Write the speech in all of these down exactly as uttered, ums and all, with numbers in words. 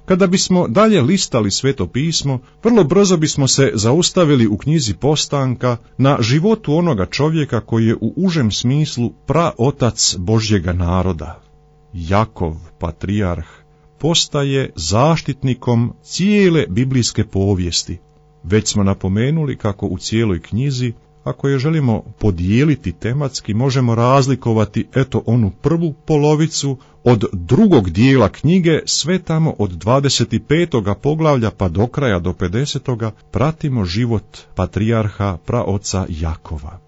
Kada bismo dalje listali Sveto pismo, vrlo brzo bismo se zaustavili u knjizi Postanka na životu onoga čovjeka koji je u užem smislu praotac Božjega naroda. Jakov, patrijarh, postaje zaštitnikom cijele biblijske povijesti. Već smo napomenuli kako u cijeloj knjizi, ako je želimo podijeliti tematski, možemo razlikovati eto onu prvu polovicu od drugog dijela knjige, sve tamo od dvadeset petog poglavlja pa do kraja do pedesetoga pratimo život patrijarha praoca Jakova.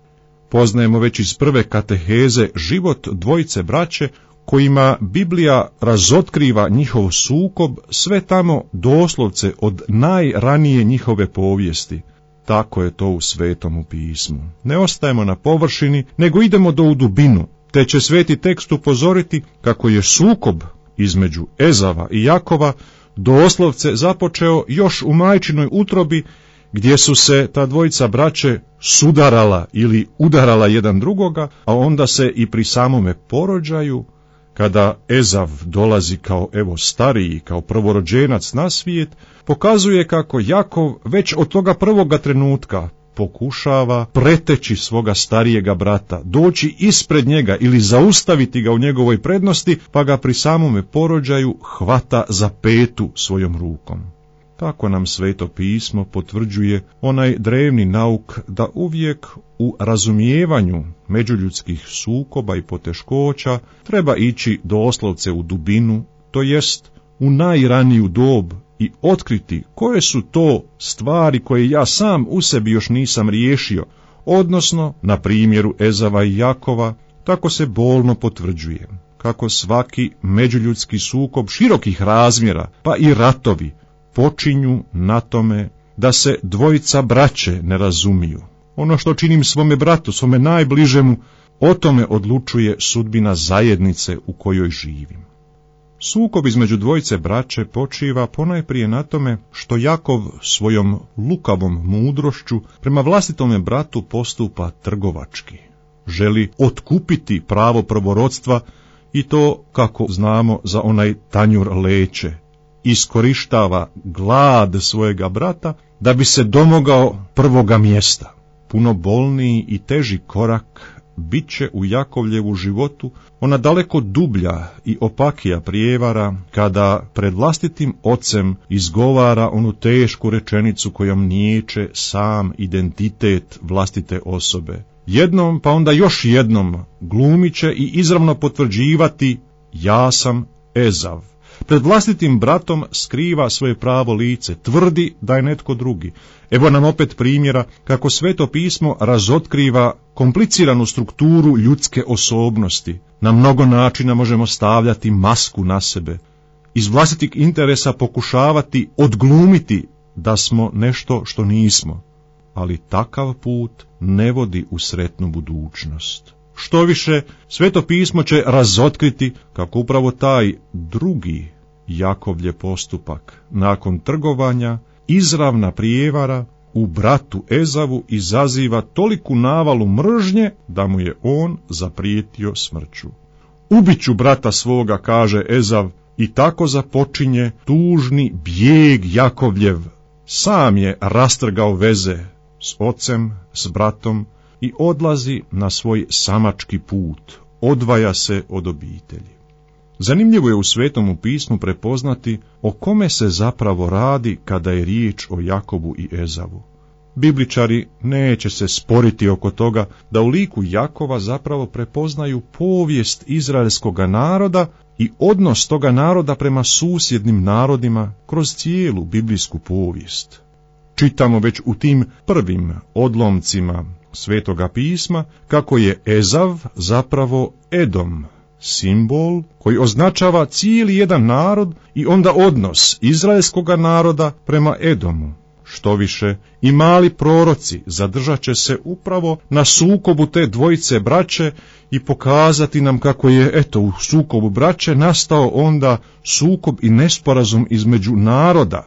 Poznajemo već iz prve kateheze život dvojice braće kojima Biblija razotkriva njihov sukob, sve tamo doslovce od najranije njihove povijesti. Tako je to u Svetomu pismu. Ne ostajemo na površini, nego idemo do u dubinu, te će sveti tekst upozoriti kako je sukob između Ezava i Jakova doslovce započeo još u majčinoj utrobi, gdje su se ta dvojica braće sudarala ili udarala jedan drugoga, a onda se i pri samome porođaju, kada Ezav dolazi kao evo stariji, kao prvorođenac na svijet, pokazuje kako Jakov već od toga prvoga trenutka pokušava preteći svoga starijega brata, doći ispred njega ili zaustaviti ga u njegovoj prednosti, pa ga pri samome porođaju hvata za petu svojom rukom. Tako nam Sveto pismo potvrđuje onaj drevni nauk da uvijek u razumijevanju međuljudskih sukoba i poteškoća treba ići doslovce u dubinu, to jest u najraniju dob i otkriti koje su to stvari koje ja sam u sebi još nisam riješio, odnosno na primjeru Ezava i Jakova tako se bolno potvrđuje kako svaki međuljudski sukob širokih razmjera, pa i ratovi, počinju na tome da se dvojica braće ne razumiju. Ono što činim svome bratu, svome najbližemu, o tome odlučuje sudbina zajednice u kojoj živim. Sukob između dvojice braće počiva ponajprije na tome što Jakov svojom lukavom mudrošću prema vlastitome bratu postupa trgovački. Želi otkupiti pravo prvorodstva i to, kako znamo, za onaj tanjur leće. Iskorištava glad svojega brata da bi se domogao prvoga mjesta. Puno bolniji i teži korak bit će u Jakovljevu životu ona daleko dublja i opakija prijevara kada pred vlastitim ocem izgovara onu tešku rečenicu kojom niječe sam identitet vlastite osobe. Jednom pa onda još jednom glumit će i izravno potvrđivati ja sam Ezav. Pred vlastitim bratom skriva svoje pravo lice, tvrdi da je netko drugi. Evo nam opet primjera kako Sveto pismo razotkriva kompliciranu strukturu ljudske osobnosti. Na mnogo načina možemo stavljati masku na sebe, iz vlastitih interesa pokušavati odglumiti da smo nešto što nismo, ali takav put ne vodi u sretnu budućnost. Što više, Sveto pismo će razotkriti kako upravo taj drugi Jakovljev postupak, nakon trgovanja, izravna prijevara u bratu Ezavu izaziva toliku navalu mržnje da mu je on zaprijetio smrću. Ubiću brata svoga, kaže Ezav, i tako započinje tužni bijeg Jakovljev. Sam je rastrgao veze s ocem, s bratom, i odlazi na svoj samački put, odvaja se od obitelji. Zanimljivo je u Svetomu pismu prepoznati o kome se zapravo radi kada je riječ o Jakovu i Ezavu. Bibličari neće se sporiti oko toga da u liku Jakova zapravo prepoznaju povijest izraelskoga naroda i odnos toga naroda prema susjednim narodima kroz cijelu biblijsku povijest. Čitamo već u tim prvim odlomcima Svetoga pisma kako je Ezav zapravo Edom, simbol koji označava cijeli jedan narod i onda odnos izraelskoga naroda prema Edomu. Što više, i mali proroci zadržat će se upravo na sukobu te dvojice braće i pokazati nam kako je, eto, u sukobu braće nastao onda sukob i nesporazum između naroda.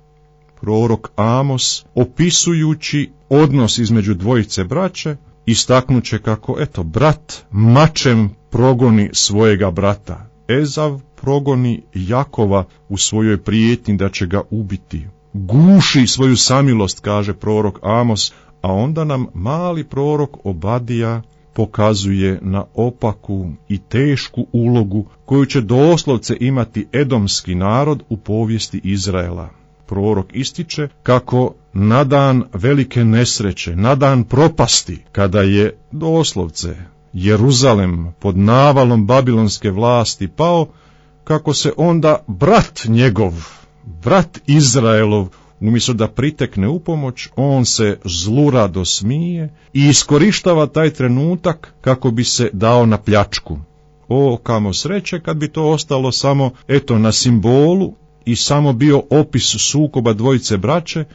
Prorok Amos, opisujući odnos između dvojice braće, istaknuće kako, eto, brat mačem progoni svojega brata. Ezav progoni Jakova u svojoj prijetnji da će ga ubiti. Guši svoju samilost, kaže prorok Amos, a onda nam mali prorok Obadija pokazuje na opaku i tešku ulogu koju će doslovce imati edomski narod u povijesti Izraela. Prorok ističe kako na dan velike nesreće, na dan propasti, kada je doslovce Jeruzalem pod navalom babilonske vlasti pao, kako se onda brat njegov, brat Izraelov, umjesto da pritekne u pomoć, on se zlurado smije i iskorištava taj trenutak kako bi se dao na pljačku. O, kamo sreće kad bi to ostalo samo, eto, na simbolu i samo bio opis sukoba dvojice braće.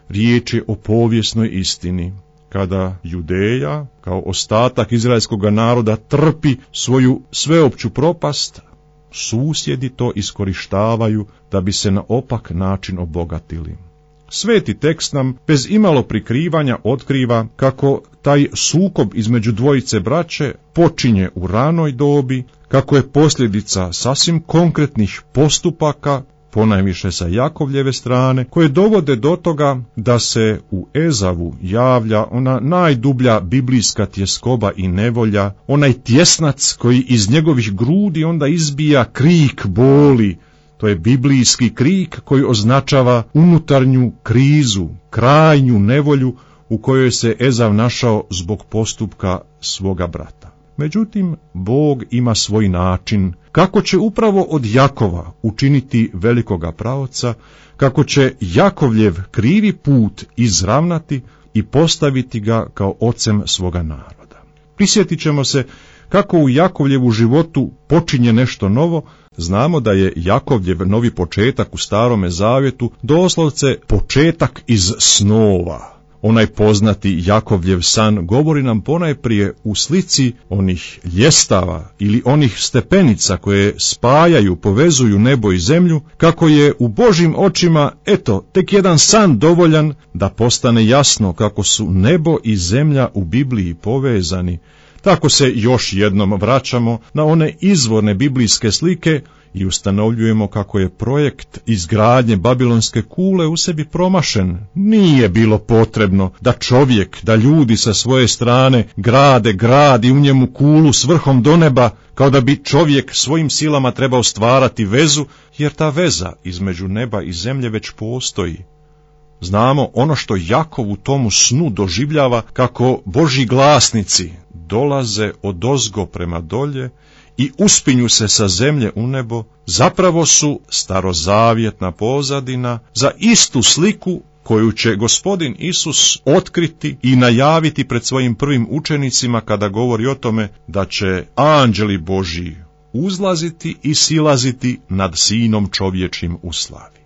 Riječ je o povijesnoj istini, kada Judeja, kao ostatak izraelskog naroda, trpi svoju sveopću propast, susjedi to iskorištavaju da bi se na opak način obogatili. Sveti tekst nam bez imalo prikrivanja otkriva kako taj sukob između dvojice braće počinje u ranoj dobi, kako je posljedica sasvim konkretnih postupaka, ponajviše sa Jakovljeve strane, koje dovode do toga da se u Ezavu javlja ona najdublja biblijska tjeskoba i nevolja, onaj tjesnac koji iz njegovih grudi onda izbija krik boli. To je biblijski krik koji označava unutarnju krizu, krajnju nevolju u kojoj se Ezav našao zbog postupka svoga brata. Međutim, Bog ima svoj način kako će upravo od Jakova učiniti velikoga praoca, kako će Jakovljev krivi put izravnati i postaviti ga kao ocem svoga naroda. Prisjetit ćemo se kako u Jakovljevu životu počinje nešto novo. Znamo da je Jakovljev novi početak u Starome Zavjetu doslovce početak iz snova. Onaj poznati Jakovljev san govori nam ponajprije u slici onih ljestava ili onih stepenica koje spajaju, povezuju nebo i zemlju, kako je u Božjim očima, eto, tek jedan san dovoljan da postane jasno kako su nebo i zemlja u Bibliji povezani. Tako se još jednom vraćamo na one izvorne biblijske slike i ustanovljujemo kako je projekt izgradnje Babilonske kule u sebi promašen. Nije bilo potrebno da čovjek, da ljudi sa svoje strane grade grad i u njemu kulu s vrhom do neba, kao da bi čovjek svojim silama trebao stvarati vezu, jer ta veza između neba i zemlje već postoji. Znamo ono što Jakov u tomu snu doživljava, kako Božji glasnici dolaze odozgo prema dolje i uspinju se sa zemlje u nebo, zapravo su starozavjetna pozadina za istu sliku koju će Gospodin Isus otkriti i najaviti pred svojim prvim učenicima kada govori o tome da će anđeli Božji uzlaziti i silaziti nad sinom čovječim u slavi.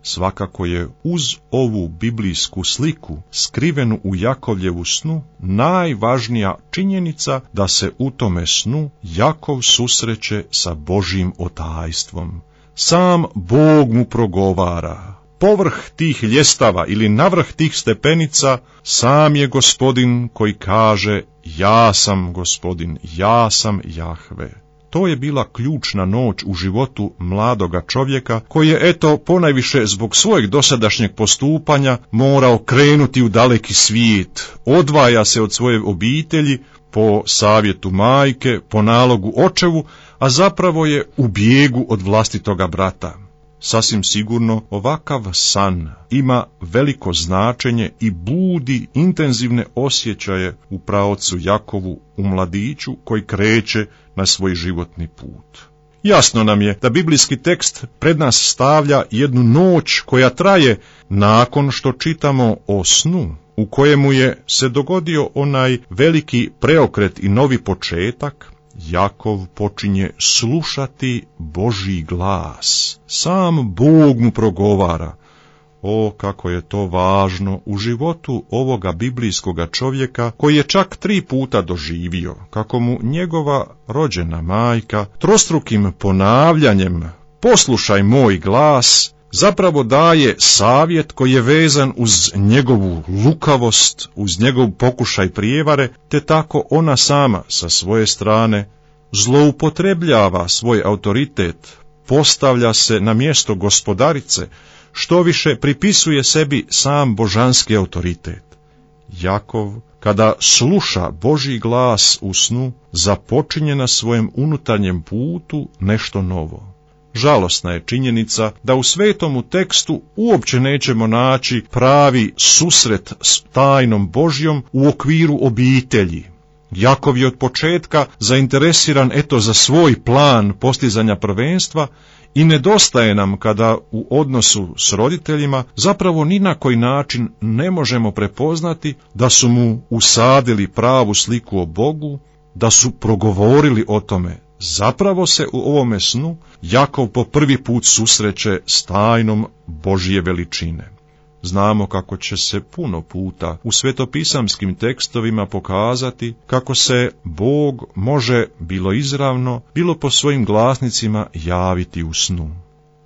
Svakako je uz ovu biblijsku sliku skrivenu u Jakovljevu snu najvažnija činjenica da se u tome snu Jakov susreće sa Božjim otajstvom. Sam Bog mu progovara. Povrh tih ljestava ili navrh tih stepenica sam je Gospodin koji kaže: ja sam Gospodin, ja sam Jahve. To je bila ključna noć u životu mladoga čovjeka koji je, eto, ponajviše zbog svojeg dosadašnjeg postupanja morao krenuti u daleki svijet. Odvaja se od svoje obitelji po savjetu majke, po nalogu očevu, a zapravo je u bijegu od vlastitoga brata. Sasvim sigurno ovakav san ima veliko značenje i budi intenzivne osjećaje u praocu Jakovu, u mladiću koji kreće na svoj životni put. Jasno nam je da biblijski tekst pred nas stavlja jednu noć koja traje nakon što čitamo o snu u kojemu je se dogodio onaj veliki preokret i novi početak. Jakov počinje slušati Božji glas. Sam Bog mu progovara. O, kako je to važno u životu ovoga biblijskoga čovjeka koji je čak tri puta doživio kako mu njegova rođena majka trostrukim ponavljanjem "poslušaj moj glas" zapravo daje savjet koji je vezan uz njegovu lukavost, uz njegov pokušaj prijevare, te tako ona sama sa svoje strane zloupotrebljava svoj autoritet, postavlja se na mjesto gospodarice, što više pripisuje sebi sam božanski autoritet. Jakov, kada sluša Božji glas u snu, započinje na svojem unutarnjem putu nešto novo. Žalosna je činjenica da u svetomu tekstu uopće nećemo naći pravi susret s tajnom Božjom u okviru obitelji. Jakov je od početka zainteresiran eto za svoj plan postizanja prvenstva i nedostaje nam kada u odnosu s roditeljima zapravo ni na koji način ne možemo prepoznati da su mu usadili pravu sliku o Bogu, da su progovorili o tome. Zapravo se u ovome snu Jakov po prvi put susreće s tajnom Božje veličine. Znamo kako će se puno puta u svetopisamskim tekstovima pokazati kako se Bog može bilo izravno, bilo po svojim glasnicima javiti u snu.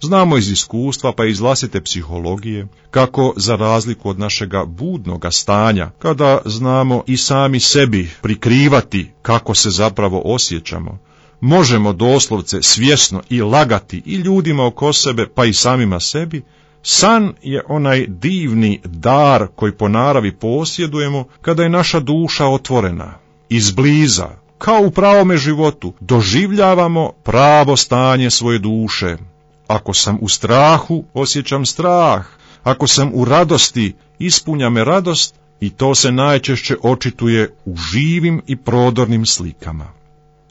Znamo iz iskustva pa iz vlastite psihologije kako za razliku od našega budnoga stanja, kada znamo i sami sebi prikrivati kako se zapravo osjećamo, možemo doslovce svjesno i lagati i ljudima oko sebe pa i samima sebi. San je onaj divni dar koji po naravi posjedujemo kada je naša duša otvorena. Izbliza, kao u pravome životu, doživljavamo pravo stanje svoje duše. Ako sam u strahu, osjećam strah. Ako sam u radosti, ispunja me radost i to se najčešće očituje u živim i prodornim slikama.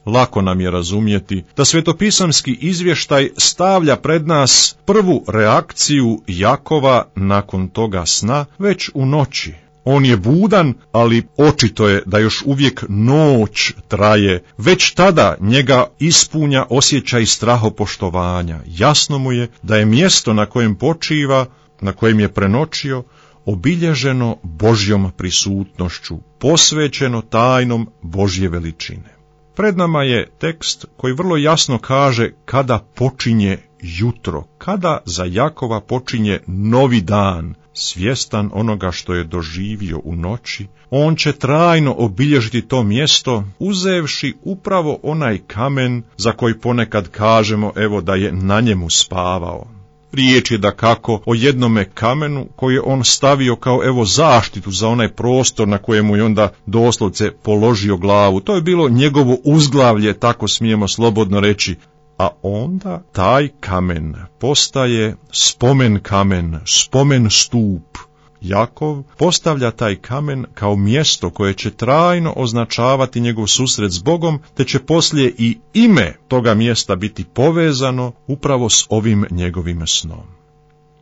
Lako nam je razumjeti da svetopisamski izvještaj stavlja pred nas prvu reakciju Jakova nakon toga sna već u noći. On je budan, ali očito je da još uvijek noć traje. Već tada njega ispunja osjećaj strahopoštovanja. Jasno mu je da je mjesto na kojem počiva, na kojem je prenoćio, obilježeno Božjom prisutnošću, posvećeno tajnom Božje veličine. Pred nama je tekst koji vrlo jasno kaže kada počinje jutro, kada za Jakova počinje novi dan. Svjestan onoga što je doživio u noći, on će trajno obilježiti to mjesto, uzevši upravo onaj kamen za koji ponekad kažemo evo da je na njemu spavao. Riječ je dakako o jednome kamenu koji je on stavio kao evo zaštitu za onaj prostor na kojemu je onda doslovce položio glavu. To je bilo njegovo uzglavlje, tako smijemo slobodno reći. A onda taj kamen postaje spomen kamen, spomen stup. Jakov postavlja taj kamen kao mjesto koje će trajno označavati njegov susret s Bogom, te će poslije i ime toga mjesta biti povezano upravo s ovim njegovim snom.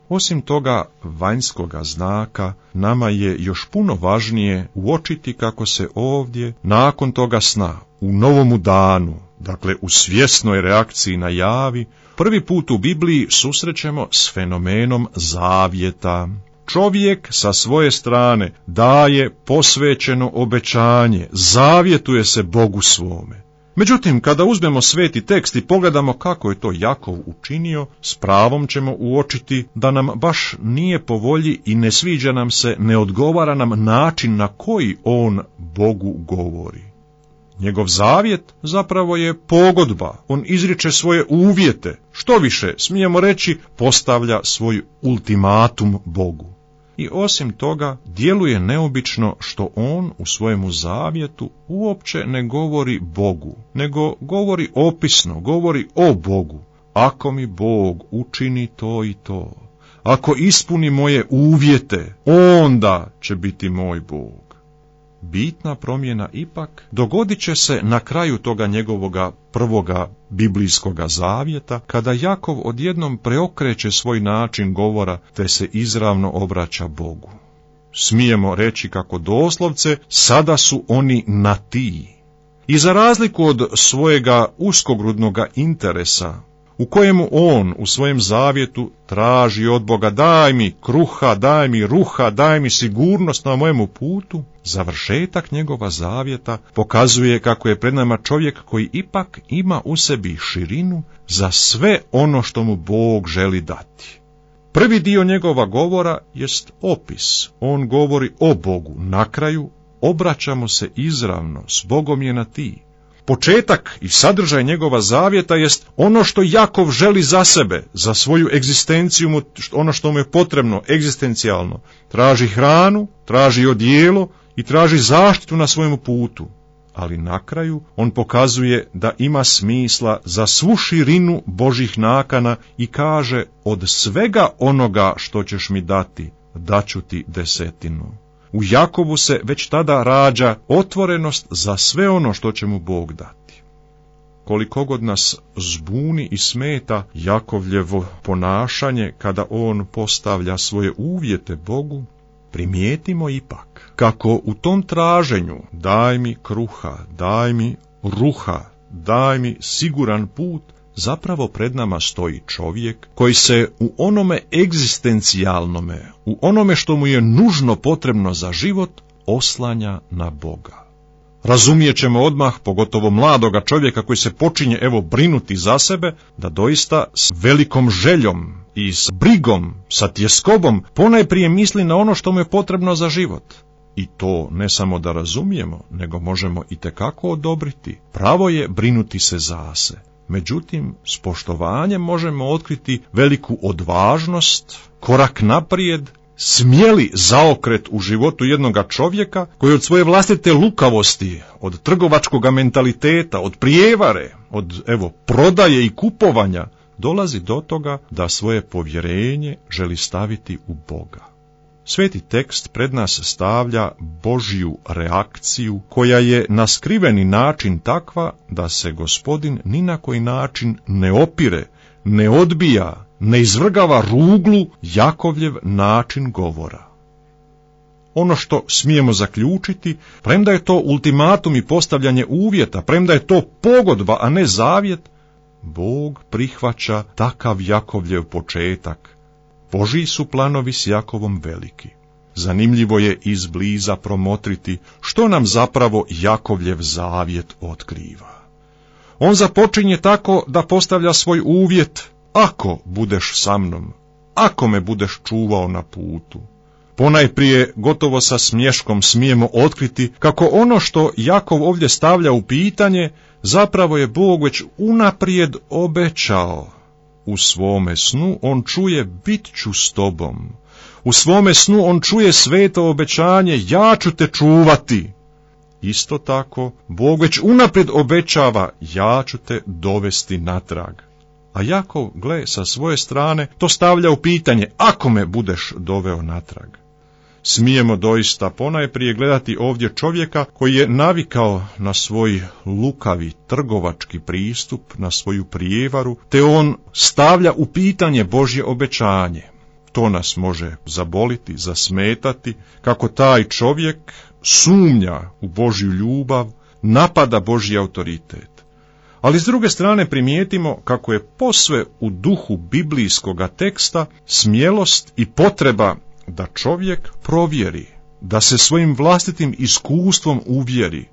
Osim toga vanjskoga znaka, nama je još puno važnije uočiti kako se ovdje, nakon toga sna, u novomu danu, dakle u svjesnoj reakciji na javi, prvi put u Bibliji susrećemo s fenomenom zavjeta. Čovjek sa svoje strane daje posvećeno obećanje, zavjetuje se Bogu svome. Međutim, kada uzmemo sveti tekst i pogledamo kako je to Jakov učinio, s pravom ćemo uočiti da nam baš nije po volji i ne sviđa nam se, ne odgovara nam način na koji on Bogu govori. Njegov zavjet zapravo je pogodba, on izriče svoje uvjete, što više, smijemo reći, postavlja svoj ultimatum Bogu. I osim toga, djeluje neobično što on u svojemu zavjetu uopće ne govori Bogu, nego govori opisno, govori o Bogu. Ako mi Bog učini to i to, ako ispuni moje uvjete, onda će biti moj Bog. Bitna promjena ipak dogodit će se na kraju toga njegovoga prvoga biblijskoga zavjeta, kada Jakov odjednom preokreće svoj način govora te se izravno obraća Bogu. Smijemo reći kako doslovce sada su oni na ti. I za razliku od svojega uskogrudnoga interesa, u kojemu on u svojem zavjetu traži od Boga daj mi kruha, daj mi ruha, daj mi sigurnost na mojemu putu, završetak njegova zavjeta pokazuje kako je pred nama čovjek koji ipak ima u sebi širinu za sve ono što mu Bog želi dati. Prvi dio njegova govora jest opis, on govori o Bogu, na kraju obraćamo se izravno, s Bogom je na ti. Početak i sadržaj njegova zavjeta jest ono što Jakov želi za sebe, za svoju egzistenciju, ono što mu je potrebno egzistencijalno. Traži hranu, traži odijelo i traži zaštitu na svojemu putu. Ali na kraju on pokazuje da ima smisla za svu širinu Božjih nakana i kaže: od svega onoga što ćeš mi dati, daću ti desetinu. U Jakovu se već tada rađa otvorenost za sve ono što će mu Bog dati. Koliko god nas zbuni i smeta Jakovljevo ponašanje kada on postavlja svoje uvjete Bogu, primijetimo ipak kako u tom traženju daj mi kruha, daj mi ruha, daj mi siguran put, zapravo pred nama stoji čovjek koji se u onome egzistencijalnome, u onome što mu je nužno potrebno za život, oslanja na Boga. Razumijet ćemo odmah, pogotovo mladoga čovjeka koji se počinje evo brinuti za sebe, da doista s velikom željom i s brigom, sa tjeskobom, ponajprije misli na ono što mu je potrebno za život. I to ne samo da razumijemo, nego možemo itekako odobriti. Pravo je brinuti se za se. Međutim, s poštovanjem možemo otkriti veliku odvažnost, korak naprijed, smjeli zaokret u životu jednoga čovjeka koji od svoje vlastite lukavosti, od trgovačkog mentaliteta, od prijevare, od evo prodaje i kupovanja, dolazi do toga da svoje povjerenje želi staviti u Boga. Sveti tekst pred nas stavlja Božju reakciju koja je na skriveni način takva da se Gospodin ni na koji način ne opire, ne odbija, ne izvrgava ruglu Jakovljev način govora. Ono što smijemo zaključiti, premda je to ultimatum i postavljanje uvjeta, premda je to pogodba, a ne zavjet, Bog prihvaća takav Jakovljev početak. Božji su planovi s Jakovom veliki. Zanimljivo je izbliza promotriti što nam zapravo Jakovljev zavjet otkriva. On započinje tako da postavlja svoj uvjet: ako budeš sa mnom, ako me budeš čuvao na putu. Ponajprije gotovo sa smješkom smijemo otkriti kako ono što Jakov ovdje stavlja u pitanje zapravo je Bog već unaprijed obećao. U svome snu on čuje: bit ću s tobom. U svome snu on čuje sveto obećanje: ja ću te čuvati. Isto tako, Bog već unaprijed obećava: ja ću te dovesti natrag. A Jakov, gle, sa svoje strane to stavlja u pitanje: ako me budeš doveo natrag. Smijemo doista ponajprije gledati ovdje čovjeka koji je navikao na svoj lukavi trgovački pristup, na svoju prijevaru, te on stavlja u pitanje Božje obećanje. To nas može zaboliti, zasmetati, kako taj čovjek sumnja u Božju ljubav, napada Božji autoritet. Ali s druge strane primijetimo kako je posve u duhu biblijskoga teksta smjelost i potreba da čovjek provjeri, da se svojim vlastitim iskustvom uvjeri.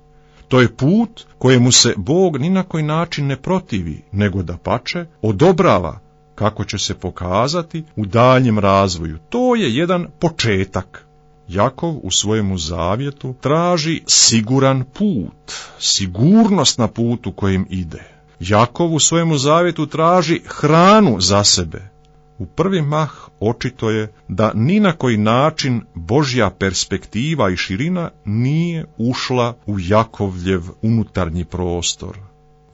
To je put kojemu se Bog ni na koji način ne protivi, nego dapače odobrava, kako će se pokazati u daljnjem razvoju. To je jedan početak. Jakov u svojemu zavjetu traži siguran put, sigurnost na putu kojim ide. Jakov u svojemu zavjetu traži hranu za sebe. U prvi mah očito je da ni na koji način Božja perspektiva i širina nije ušla u Jakovljev unutarnji prostor.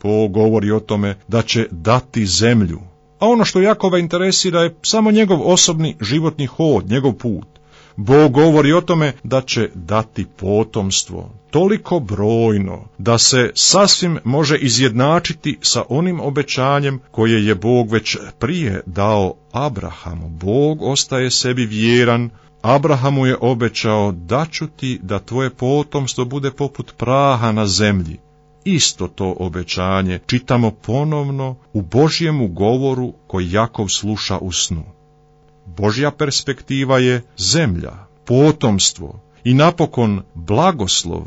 Bog govori o tome da će dati zemlju, a ono što Jakova interesira je samo njegov osobni životni hod, njegov put. Bog govori o tome da će dati potomstvo, toliko brojno da se sasvim može izjednačiti sa onim obećanjem koje je Bog već prije dao Abrahamu. Bog ostaje sebi vjeran. Abrahamu je obećao: daću ti da tvoje potomstvo bude poput praha na zemlji. Isto to obećanje čitamo ponovno u Božjemu govoru koji Jakov sluša u snu. Božja perspektiva je zemlja, potomstvo i napokon blagoslov.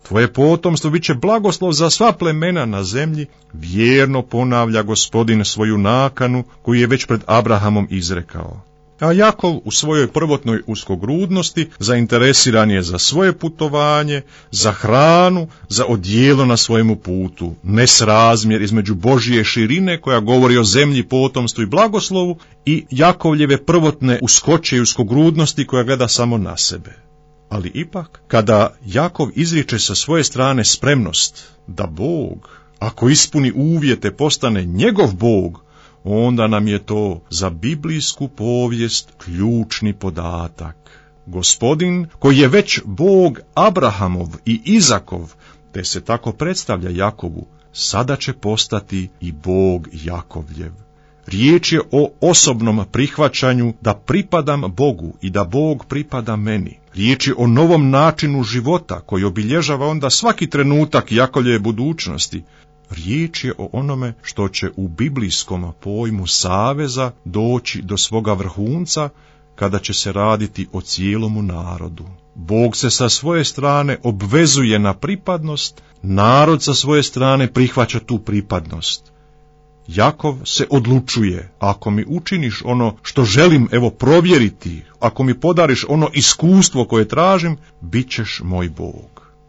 Tvoje potomstvo bit će blagoslov za sva plemena na zemlji, vjerno ponavlja Gospodin svoju nakanu koju je već pred Abrahamom izrekao. A Jakov u svojoj prvotnoj uskogrudnosti zainteresiran je za svoje putovanje, za hranu, za odijelo na svojemu putu, nesrazmjer između Božje širine koja govori o zemlji, potomstvu i blagoslovu i Jakovljeve prvotne uskoće i uskogrudnosti koja gleda samo na sebe. Ali ipak, kada Jakov izriče sa svoje strane spremnost da Bog, ako ispuni uvjete, postane njegov Bog, onda nam je to za biblijsku povijest ključni podatak. Gospodin, koji je već Bog Abrahamov i Izakov, te se tako predstavlja Jakovu, sada će postati i Bog Jakovljev. Riječ je o osobnom prihvaćanju da pripadam Bogu i da Bog pripada meni. Riječ je o novom načinu života koji obilježava onda svaki trenutak Jakovljeve budućnosti. Riječ je o onome što će u biblijskom pojmu saveza doći do svoga vrhunca kada će se raditi o cijelomu narodu. Bog se sa svoje strane obvezuje na pripadnost, narod sa svoje strane prihvaća tu pripadnost. Jakov se odlučuje, ako mi učiniš ono što želim evo provjeriti, ako mi podariš ono iskustvo koje tražim, bit ćeš moj Bog.